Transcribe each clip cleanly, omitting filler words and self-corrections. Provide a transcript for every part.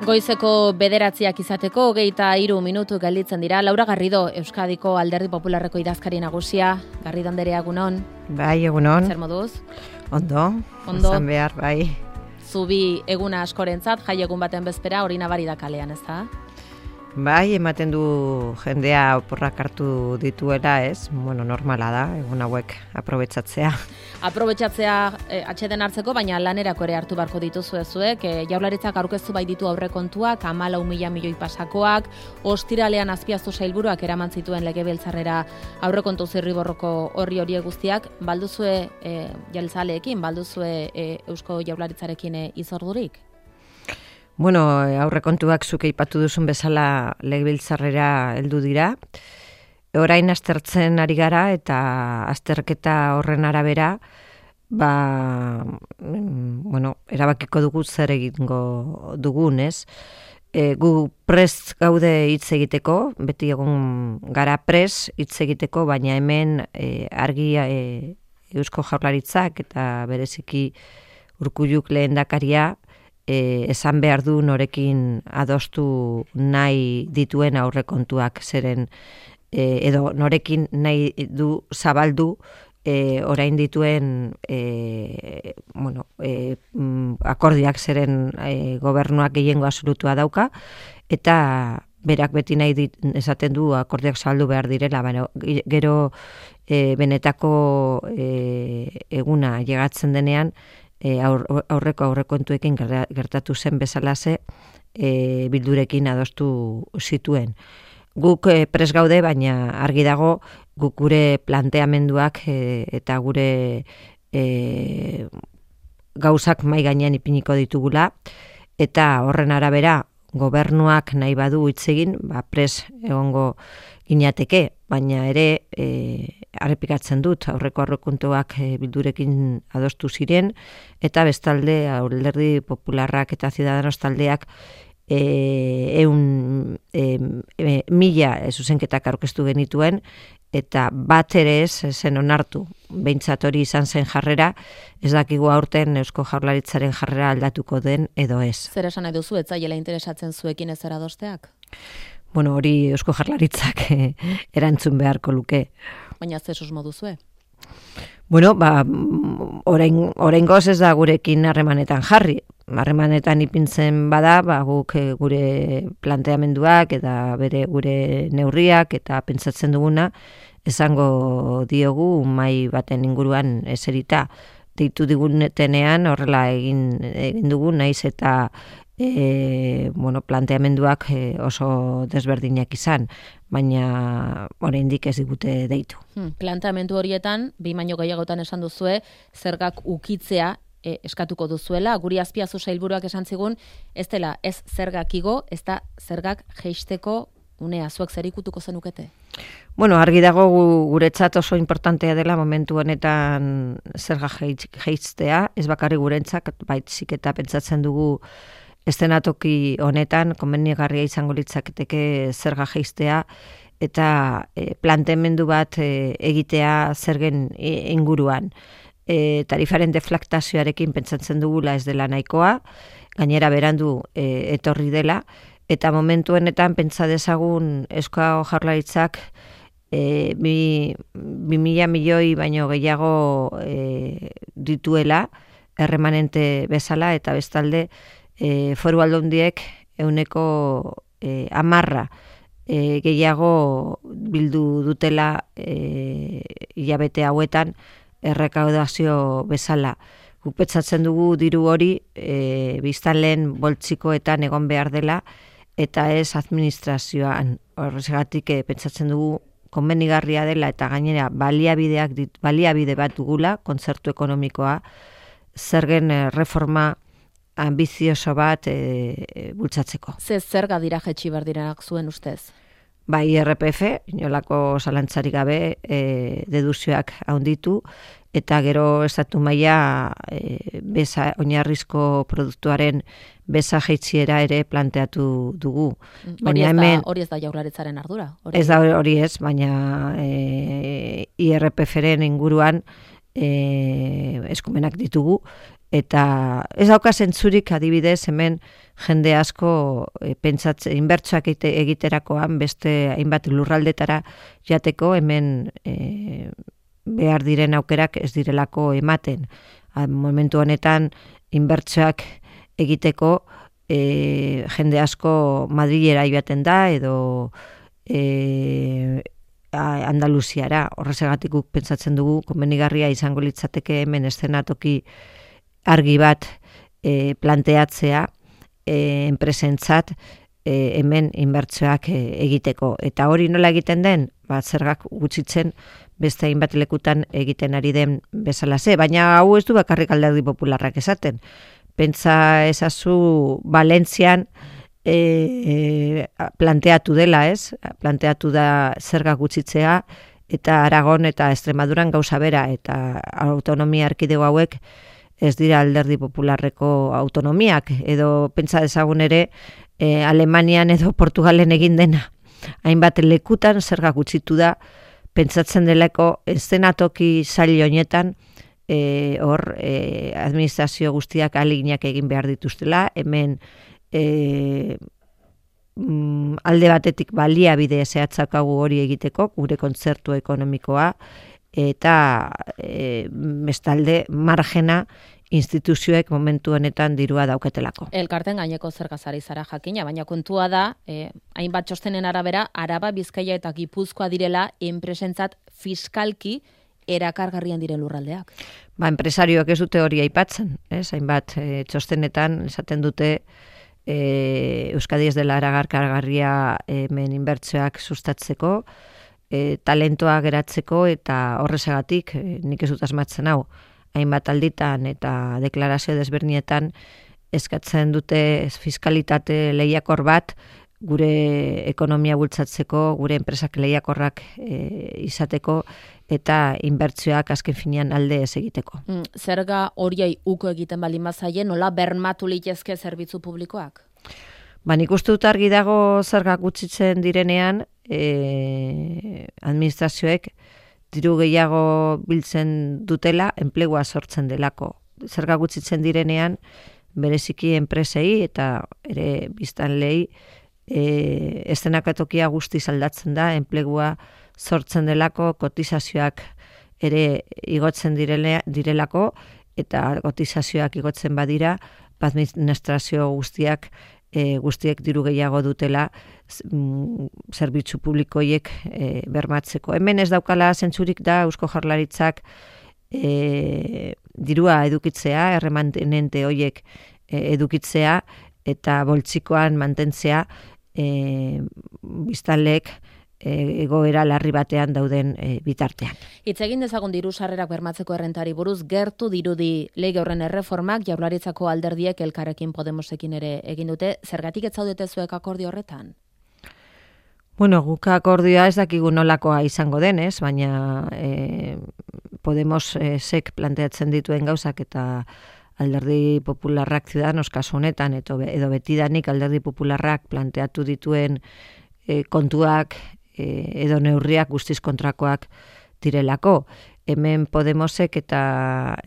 Goizeko 9 izateko 23 minutu gelditzen dira. Laura Garrido, Euskadiko Alderdi Popularreko idazkari nagusia. Garrido anderea, egunon. Bai, egunon. Zer moduz? Ondo. Zan behar, bai. Zubi eguna askorentzat, jai egun baten bezpera, hori nabari da kalean, ez da? Bai, ematen du jendea oporrak hartu dituela, ez? Bueno, normala da, egun hauek aprobetxatzea. Aprobetxatzea atxeden hartzeko, baina lanerako ere hartu barko dituzu ezuek. Jaurlaritzak aurkeztu bai ditu aurrekontuak, 14.000 milioi pasakoak, ostiralean Azpiazu sailburuak eraman zituen legebiltzarrera aurrekontu zirriborroko horri guztiak. Balduzue jeltzaleekin, balduzue Eusko Jaurlaritzarekin izordurik? Bueno, aurrekontuak zuk aipatu duzun bezala legebiltzarrera heldu dira. Orain aztertzen ari gara eta azterketa horren arabera, erabakiko dugu zer egingo dugun, ez? Gu prest gaude hitz egiteko, beti egon gara prest hitz egiteko, baina hemen argi Eusko Jaurlaritzak eta bereziki Urkulluk lehendakaria esan behar du norekin adostu nahi dituen aurrekontuak zeren edo norekin nahi du zabaldu orain dituen akordioak zeren gobernuak gehiengo absolutua dauka eta berak beti nahi esaten du akordioak zabaldu behar direla, gero benetako eguna llegatzen denean aurrekontuekin gertatu zen bezalaze bildurekin adostu zituen. Guk prest gaude, baina argi dago guk gure planteamenduak eta gure gauzak mai gainean ipiniko ditugula eta horren arabera gobernuak nahi badu hitz egin, prest egongo ginateke, baina ere arrepikatzen dut aurrekontuak bildurekin adostu ziren eta bestalde Alderdi Popularrak eta Ciudadanos taldeak 1.000 zuzenketak aurkeztu genituen eta bat ere ez zen onartu. Behintzat hori izan zen jarrera, ez dakigu aurten Eusko Jaurlaritzaren jarrera aldatuko den edo ez. Zer esan nahi duzu, ez zaiela interesatzen zuekin ez adosteak? Bueno, hori Eusko Jaurlaritzak erantzun beharko luke. Baina zer susmo duzue? Bueno, oraingoz ez da gurekin harremanetan jarri. Harremanetan ipintzen bada, guk gure planteamenduak eta gure neurriak eta pentsatzen duguna esango diogu mahai baten inguruan eserita. Deitu digunetenean horrela egin dugu naiz eta planteamenduak oso desberdinak izan, baina oraindik ez digute deitu. Planteamendu horietan, 2 baino gehiagotan esan duzue, zergak ukitzea eskatuko duzuela, guri Azpiazu sailburuak esan zigun, ez dela ez zergak igo, ez da zergak jeisteko unea, zuek zer ikutuko zenukete? Bueno, argi dago guretzat oso importantea dela momentu honetan zerga jeistea, ez bakarrik gurentzak, baizik eta pentsatzen dugu eszenatoki honetan komenigarria izango litzaketeke zerga jeistea eta planteamendu bat egitea zergen inguruan. Tarifaren deflaktazioarekin pentsatzen dugula ez dela nahikoa, gainera berandu etorri dela, eta momentu honetan pentsa dezagun Eusko Jaurlaritzak 2.000 milioi baino gehiago dituela erremanente bezala eta bestalde foru aldundiek 10% gehiago bildu dutela hilabete hauetan errekaudazio bezala. Guk pentsatzen dugu diru hori biztanleen boltsikoetan egon behar dela eta ez administrazioan. Horregatik pentsatzen dugu konbenigarria dela eta gainera baliabide bat dugula, kontzertu ekonomikoa, zergen reforma ambizioso bat bultzatzeko. Zerga dira jetxi berdirenak zuen ustez? Bai, IRPF, inolako zalantzarik gabe deduzioak handitu, eta gero estatu maila oinarrizko produktuaren beza jaitsiera ere planteatu dugu. Hori ez da Jaurlaritzaren ardura? Ez da hori ez, baina IRPF-ren inguruan eskumenak ditugu Eta ez dauka zentzurik adibidez hemen jende asko pentsatzen inbertsoak egiterakoan beste hainbat lurraldetara jateko hemen behar diren aukerak ez direlako ematen. Momentu honetan inbertsoak egiteko jende asko Madrilera joaten da edo Andaluziara. Horregatik guk pentsatzen dugu komenigarria izango litzateke hemen eszenatoki argi bat planteatzea enpresentzat hemen inbertsioak egiteko. Eta hori nola egiten den? Zergak gutxitzen beste hainbat lekutan egiten ari den bezalaze. Baina hau ez du bakarrik Alderdi Popularrak esaten. Pentsa ezazu Valentzian planteatu dela, ez? Planteatu da zergak gutxitzea eta Aragon eta Extremaduran gauza bera eta autonomia erkidego hauek ez dira Alderdi Popularreko autonomiak, edo pentsa dezagun ere Alemanian edo Portugalen egin dena. Hainbat lekutan zerga gutxitu da, pentsatzen delako eszenatoki sail honetan administrazio guztiak ahaleginak egin behar dituztela, hemen alde batetik baliabide zehatzakagu hori egiteko, gure kontzertu ekonomikoa, eta bestalde margena instituzioek momentu honetan dirua dauketelako. Elkarten gaineko zergazari zara jakina, baina kontua da, hainbat txostenen arabera, Araba, Bizkaia eta Gipuzkoa direla enpresentzat fiskalki erakargarrian diren lurraldeak. Enpresarioak ez dute hori aipatzen, hainbat txostenetan esaten dute Euskadi ez dela erakargarria hemen inbertsioak sustatzeko, talentoa geratzeko eta horrezagatik nik ez dut asmatzen hau. Hainbat alditan eta deklarazio desberdinetan eskatzen dute fiskalitate lehiakor bat gure ekonomia bultzatzeko, gure enpresak lehiakorrak izateko eta inbertsioak azken finean alde ez egiteko. Zerga horiei uko egiten baldin bazaie, nola bermatu litezke zerbitzu publikoak? Nik uste dut argi dago zergak gutxitzen direnean, administrazioek diru gehiago biltzen dutela, enplegua sortzen delako. Zerga gutxitzen direnean, bereziki enpresei eta ere biztanleei eszenatokia guztiz aldatzen da, enplegua sortzen delako, kotizazioak ere igotzen direlako, eta kotizazioak igotzen badira, administrazio guztiek diru gehiago dutela zerbitzu publikoiek bermatzeko. Hemen ez daukala zentzurik da Eusko Jaurlaritzak dirua edukitzea, erremanente horiek edukitzea eta boltsikoan mantentzea biztanleek egoera larri batean dauden bitartean. Hitz egin dezagun diru sarrerak bermatzeko errentari buruz, gertu dirudi lege horren erreformak Jaurlaritzako alderdiek Elkarrekin Podemosekin ere egin dute. Zergatik ez zaudete zuek akordio horretan? Guk akordioa ez dakigu nolakoa izango denez, baina Podemosek planteatzen dituen gauzak eta Alderdi Popularrak Ciudadanos kasu honetan edo betidanik Alderdi Popularrak planteatu dituen kontuak edo neurriak guztiz kontrakoak direlako. Hemen Podemosek eta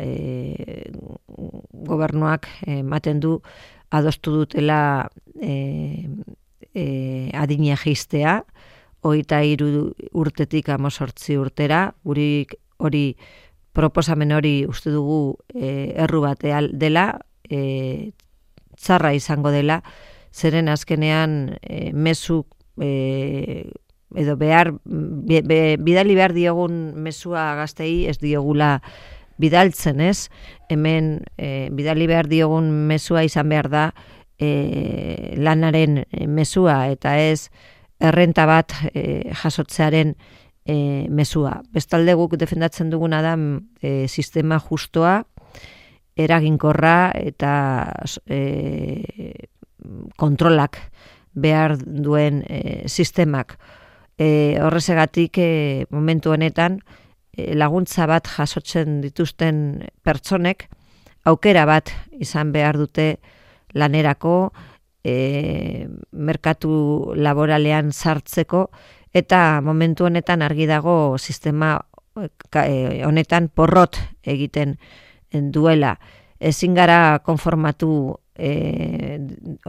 gobernuak ematen du adostu dutela adina jaistea, 23 urtetik 18 urtera, guri hori proposamen hori uste dugu erru batea dela, txarra izango dela, zeren azkenean mezu edo bidali behar diogun mezua gaztei ez diogula bidaltzen, ez? Hemen bidali behar diogun mezua izan behar da lanaren mezua eta ez errenta bat jasotzearen mezua. Bestalde guk defendatzen duguna da sistema justoa, eraginkorra eta kontrolak behar duen sistemak. Horrezegatik momentu honetan laguntza bat jasotzen dituzten pertsonek aukera bat izan behar dute lanerako, merkatu laboralean sartzeko, eta momentu honetan argi dago sistema honetan porrot egiten duela. ezin gara konformatu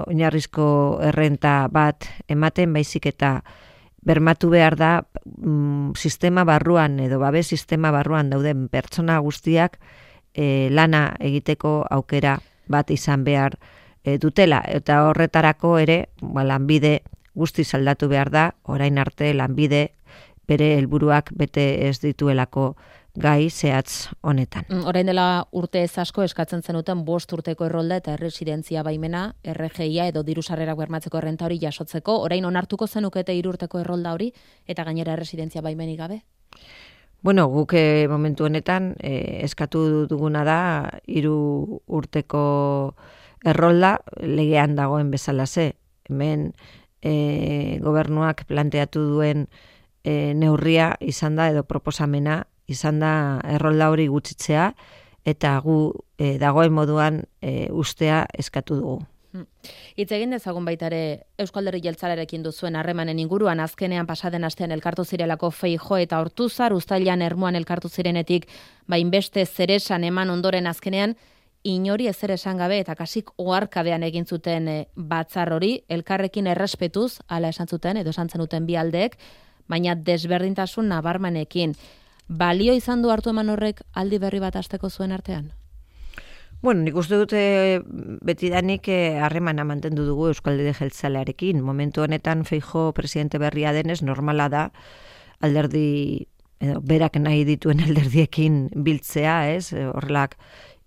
oinarrizko errenta bat ematen, baizik eta bermatu behar da sistema barruan edo babes sistema barruan dauden pertsona guztiak lana egiteko aukera bat izan behar dutela. Eta horretarako ere lanbide guztiz aldatu behar da, orain arte lanbide bere helburuak bete ez dituelako gai zehatz honetan. Orain dela urte ez asko eskatzen zenuten 5 urteko errolda eta erresidentzia baimena, RGIa edo diru sarrerak bermatzeko errenta hori jasotzeko, orain onartuko zenukete 3 urteko errolda hori eta gainera erresidentzia baimenik gabe? Bueno, guk momentu honetan eskatu duguna da 3 urteko errolda legean dagoen bezalaxe. Hemen gobernuak planteatu duen neurria izan da edo proposamena izan da errolda hori gutxitzea eta gu dagoen moduan ustea eskatu dugu. Hitz egin dezagun baita ere Eusko Alderdi Jeltzalearekin duzuen harremanen inguruan, azkenean pasaden astean elkartu zirelako Feijóo eta Ortuzar, uztailean Ermuan elkartu zirenetik, hainbeste zeresan eman ondoren azkenean inori ezer esan gabe eta kasik oharkabean egin zuten batzar hori, elkarrekin errespetuz, hala esan zuten edo esan zenuten bi aldeek, baina desberdintasun nabarmenekin. Balio izan du hartu eman horrek aldi berri bat hasteko zuen artean? Bueno, nik uste dute betidanik harremana mantendu dugu Euskal Alderdi Jeltzalearekin. Momentu honetan Feijóo presidente berria denez normala da alderdi edo berak nahi dituen alderdiekin biltzea, ez? Horrelak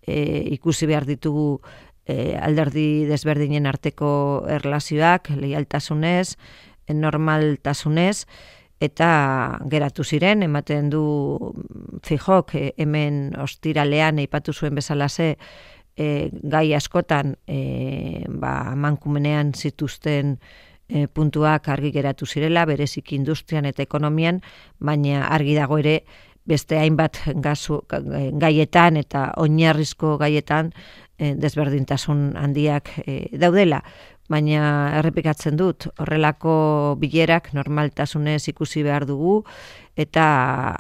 ikusi behar ditugu alderdi desberdinen arteko erlazioak, leialtasunez, normaltasunez, eta geratu ziren, ematen du Feijóok hemen ostiralean aipatu zuen bezalaxe gai askotan amankumenean zituzten puntuak argi geratu zirela, bereziki industrian eta ekonomian, baina argi dago ere beste hainbat gaietan eta oinarrizko gaietan desberdintasun handiak daudela. Baina errepikatzen dut, horrelako bilerak normaltasunez ikusi behar dugu eta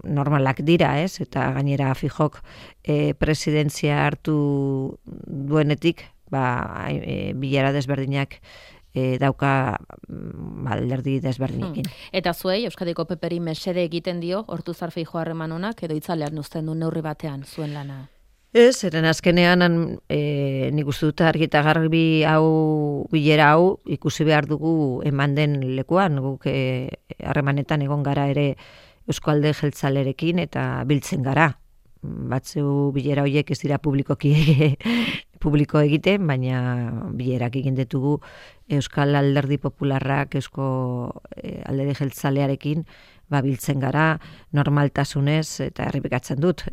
normalak dira, ez? Eta gainera Feijóok presidentzia hartu duenetik, bilera desberdinak dauka alderdi desberdinekin. Eta zuei, Euskadiko PPri mesede egiten dio, Ortuzar Feijóo harreman honak, edo itzalean uzten du neurri batean zuen lana? Ez, eren azkenean nik uste dut argi eta garbi bilera hau ikusi behar dugu eman den lekuan, guk harremanetan egon gara ere Eusko Alderdi Jeltzalearekin eta biltzen gara. Batzu bilera horiek ez dira publiko egiten, baina bilerak egin ditugu Euskal Alderdi Popularrak Eusko Alderdi Jeltzalearekin biltzen gara normaltasunez eta errepikatzen dut.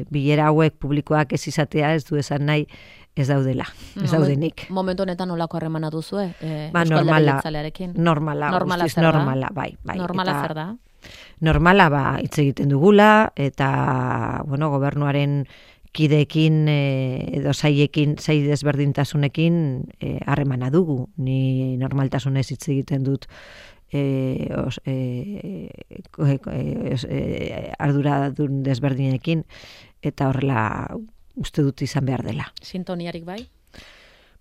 Bilera hauek publikoak ez izatea ez du esan nahi ez daudela, ez daudenik. Momentu honetan nolako harremana duzue? Normala, guztiz normala, bai. Normala zer da? Normala hitz egiten dugula eta gobernuaren kideekin edo saiekin, sai desberdintasunekin harremana dugu. Ni normaltasunez hitz egiten dut arduradun desberdinekin eta horrela uste dut izan behar dela. Sintoniarik bai?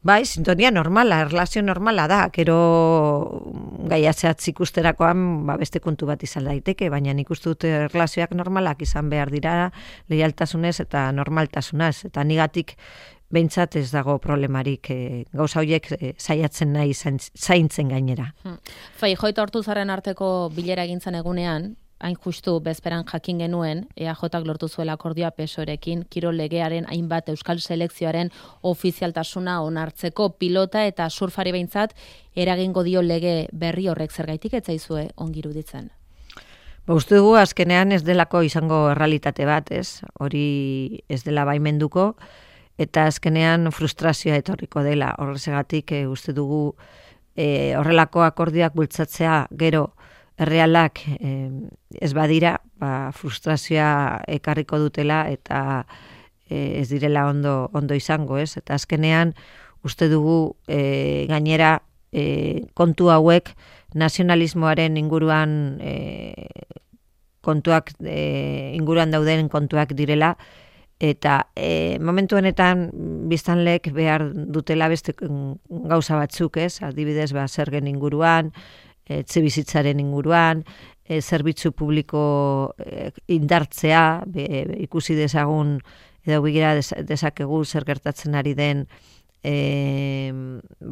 Bai, sintonia normala, erlazio normala da, gero gaia zehatz ikusterakoan beste kontu bat izan daiteke, baina nik uste dut erlazioak normalak izan behar dira leialtasunez eta normaltasunaz, eta nigatik behintzat ez dago problemarik gauza horiek saiatzen nahi zaintzen gainera. Feijóo eta Ortuzarren arteko bilera egintzen egunean, hain justu bezperan jakin genuen, EAJak lortu zuela akordioa PSOErekin, kirol legearen hainbat euskal selekzioaren ofizialtasuna onartzeko pilota eta surfari behintzat eragingo dio lege berri horrek zergaitik ez zaizue ongi iruditzen. Uste dugu azkenean ez delako izango errealitate bat, ez? Hori ez dela baimenduko, eta azkenean frustrazioa etorriko dela. Horregatik uste dugu horrelako akordioak bultzatzea gero errealak ez badira, frustrazioa ekarriko dutela eta ez direla ondo izango, ez? Eta azkenean uste dugu gainera kontu hauek nazionalismoaren inguruan inguruan dauden kontuak direla Eta momentu honetan biztanleek behar dutela beste gauza batzuk, ez? Adibidez, zergen inguruan, etxebizitzaren inguruan, zerbitzu publiko indartzea, ikusi dezagun edo begira dezakegu zer gertatzen ari den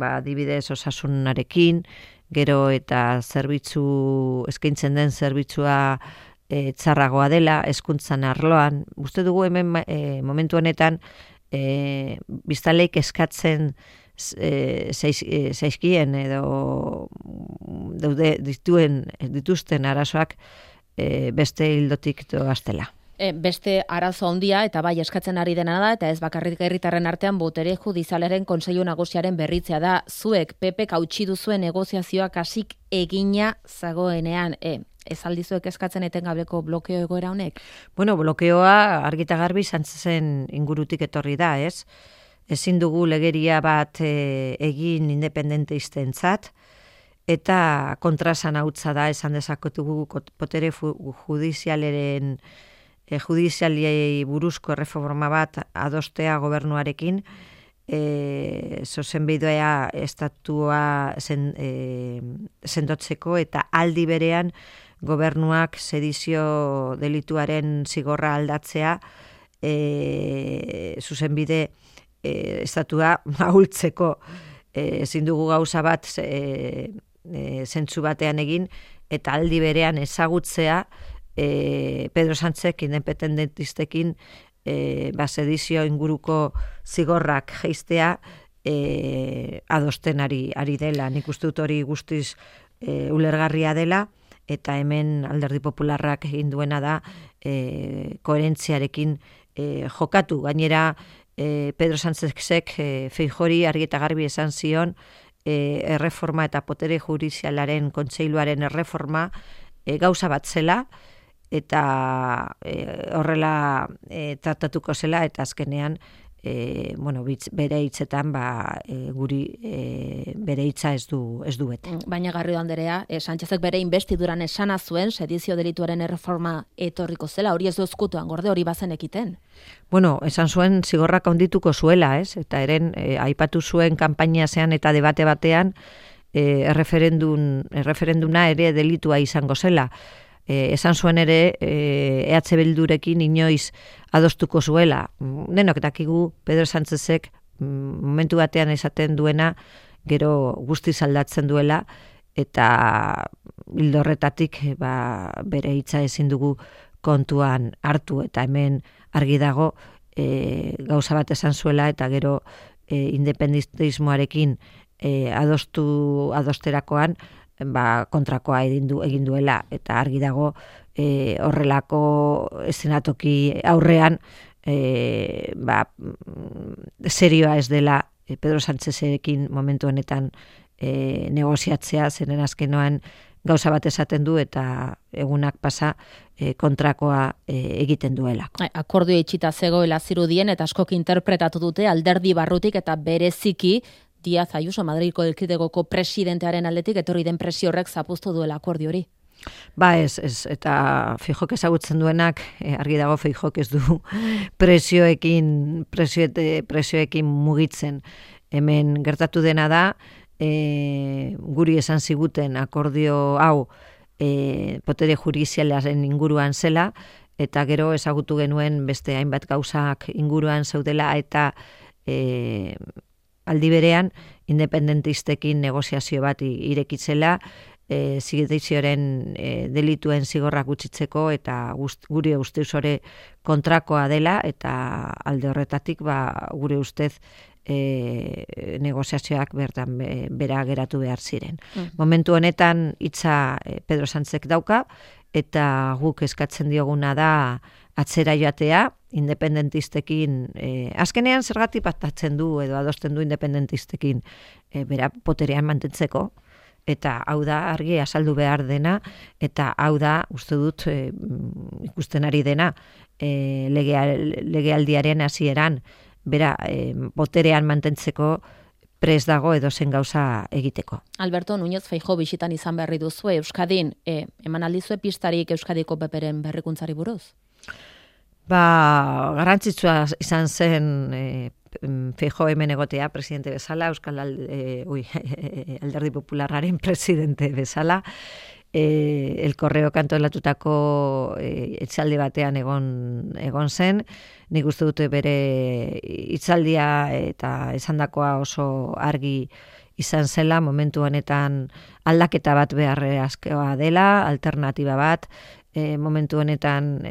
adibidez osasunarekin, gero eta eskaintzen den zerbitzua txarragoa dela, hezkuntzan arloan. Uste dugu hemen momentu honetan biztanleek eskatzen zaizkien edo dituzten arazoak beste hildotik doaztela. Beste arazo handia eta bai eskatzen ari dena da, eta ez bakarrik herritarren artean botere judizialaren Kontseilu Nagusiaren berritzea da. Zuek PPk hautsi duzuen negoziazioak hasik egina zagoenean, ez aldizuek eskatzen etengabeko blokeo egoera honek? Bueno, blokeoa argita garbi Sánchezen ingurutik etorri da, ez? Ezin dugu legeria bat egin independentistentzat, eta kontrasan hautza da, esan dezakotugu botere judizialiei buruzko erreforma bat adostea gobernuarekin, zuzenbidea estatua sendotzeko eta aldi berean gobernuak sedizio delituaren zigorra aldatzea zuzenbide estatua ahultzeko. Ezin dugu gauza bat zentzu batean egin eta aldi berean ezagutzea Pedro Sánchezek independentistekin sedizio inguruko zigorrak jeistea adosten ari dela. Nik uste dut hori guztiz ulergarria dela, eta hemen Alderdi Popularrak egin duena da koherentziarekin jokatu. Gainera, Pedro Sánchezek Feijori argi eta garbi esan zion erreforma eta botere judizialaren kontseiluaren erreforma gauza bat zela, eta horrela tratatuko zela, eta azkenean bere hitzetan guri bere hitza ez du bete. Baina Garrido Anderea, Sánchezek bere investiduran esana zuen sedizio delituaren erreforma etorriko zela, hori ez du ezkutuan gorde, hori bazen ekiten. Bueno, esan zuen zigorrak handituko zuela, ez? Eta eren aipatu zuen kanpaina zean eta debate batean erreferenduna ere delitua izango zela. Esan zuen ere EH Bildurekin inoiz adostuko zuela. Denok dakigu Pedro Sánchezek momentu batean esaten duena gero guztiz aldatzen duela, eta ildo horretatik bere hitza ezin dugu kontuan hartu, eta hemen argi dago gauza bat esan zuela eta gero independentismoarekin adosterakoan kontrakoa egin duela, eta argi dago horrelako eszenatoki aurrean serioa ez dela Pedro Sánchezekin momentu honetan negoziatzea, zeren azkenoan gauza bat esaten du eta egunak pasa kontrakoa egiten duela. Akordioa itxita zegoela zirudien eta askok interpretatu dute alderdi barrutik eta bereziki Díaz Ayuso, Madrilko Elkidegoko presidentearen aldetik etorri den presio horrek zapuztu duela akordio hori. Ez, eta Feijok ezagutzen duenak, argi dago Feijok ez du presioekin mugitzen. Hemen gertatu dena da, guri esan ziguten akordio hau botere judizialaren inguruan zela, eta gero ezagutu genuen beste hainbat gauzak inguruan zeudela, eta aldi berean independentistekin negoziazio bat irekitzela, zigitizioaren delituen zigorrak gutxitzeko, eta gure ustez hori kontrakoa dela, eta alde horretatik gure ustez negoziazioak bertan bera geratu behar ziren. Momentu honetan hitza Pedro Sánchezek dauka, eta guk eskatzen dioguna da atzera joatea, independentistekin, azkenean zergatik pactatzen du edo adosten du independentistekin bera boterean mantentzeko, eta hau da argi azaldu behar dena, eta hau da uste dut ikusten ari dena legealdiaren hasieran bera boterean mantentzeko prest dago edozen gauza egiteko. Alberto Núñez Feijóo bisitan izan berri duzu Euskadin, eman aldizue pistarik Euskadiko PPren berrikuntzari buruz? Garrantzitsua izan zen Feijóo hemen egotea presidente bezala, Alderdi Popularraren presidente bezala, El Correo kantolatutako hitzaldi batean egon zen. Nik uste dute bere hitzaldia eta esandakoa oso argi izan zela, momentu honetan aldaketa bat beharrezkoa dela, alternatiba bat, momentu honetan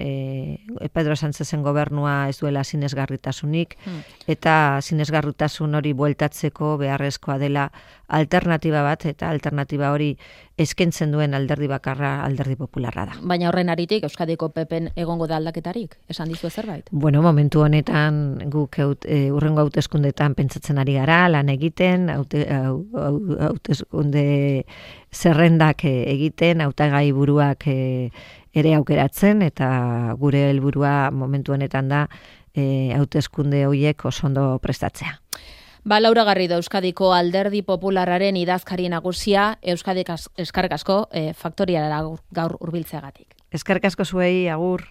Pedro Sánchezen gobernua ez duela sinesgarritasunik, eta sinesgarritasun hori bueltatzeko beharrezkoa dela alternatiba bat, eta alternatiba hori eskaintzen duen alderdi bakarra Alderdi Popularra da. Baina horren aritik Euskadiko PPn egongo da aldaketarik? Esan dizu zerbait? Bueno, momentu honetan guk urrengo hauteskundetan pentsatzen ari gara, lan egiten, hauteskunde zerrendak egiten, hautagai buruak ere aukeratzen, eta gure helburua momentu honetan da hauteskunde horiek oso ondo prestatzea. Laura Garrido, Euskadiko Alderdi Popularraren idazkari nagusia, Euskadik eskerrik asko faktoriara gaur hurbiltzeagatik. Eskerrik asko zuei, agur.